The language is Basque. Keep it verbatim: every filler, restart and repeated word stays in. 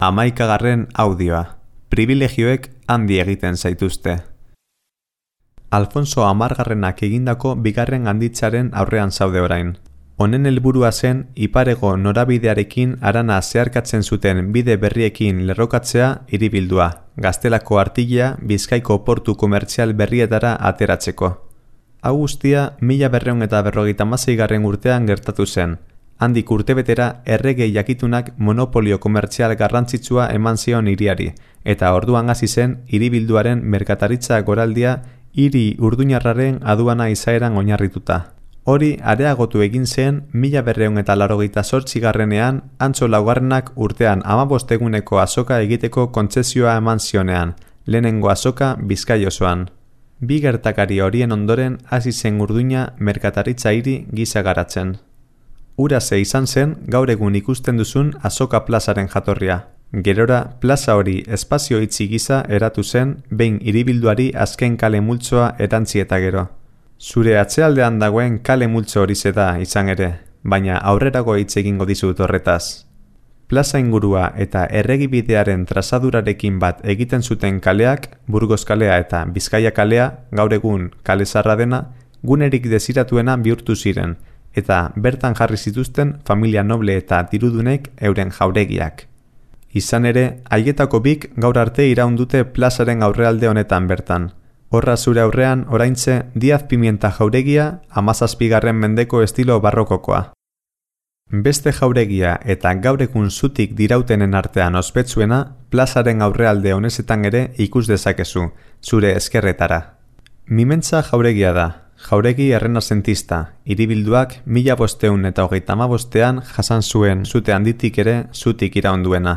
Hamaikagarren audioa. Pribilegioek handi egiten zaituzte. Alfonso Hamargarrenak egindako bigarren handitzaren aurrean zaude orain. Honen helburua zen iparego norabidearekin harana zeharkatzen zuten bide berriekin lerrokatzea hiribildua, Gaztelako artilea Bizkaiko portu komertzial berrietara ateratzeko. Hau guztia mila berrehun eta berrogeita hamaseigarren urtean gertatu zen. Handik urtebetera errege jakitunak monopolio komertzial garrantzitsua eman zion hiriari, eta orduan hasi zen hiribilduaren merkataritza goraldia hiri urduñarraren aduana izaeran oinarrituta. Hori areagotu egin zen mila berrehun eta laurogeita zortzigarrenean Antso laugarrenak urtean hamabost eguneko azoka egiteko kontzezioa eman zionean, lehenengo azoka Bizkai osoan. Bi gertakari horien ondoren hasi zen Urduña merkataritza hiri gisa garatzen. Urase izan zen gaur egun ikusten duzun Azoka plazaren jatorria. Gerora, plaza hori espazio itxi gisa eratu zen behin hiribilduari azken kale multzoa erantzi eta gero. Zure atzealdean dagoen kale multzo hori da izan ere, baina aurrerago hitz egingo dizut horretaz. Plaza ingurua eta erregibidearen trazadurarekin bat egiten zuten kaleak, Burgos kalea eta Bizkaia kalea, gaur egun kale zaharra dena, gunerik desiratuena bihurtu ziren, eta bertan jarri zituzten familia noble eta dirudunek euren jauregiak. Izan ere, haietako bik gaur arte iraun dute plazaren aurrealde honetan bertan. Horra zure aurrean oraintze Diaz Pimienta jauregia hamazazpigarren mendeko estilo barrokokoa. Beste jauregia eta gaur egun zutik dirautenen artean ospetsuena plazaren aurrealde honezetan ere ikus dezakezu, zure eskerretara. Mimentza jauregia da. Jauregi errenazentista, hiribilduak mila bosteun eta hogeita hamabostean jasan zuen zute handitik ere zutik iraunduena.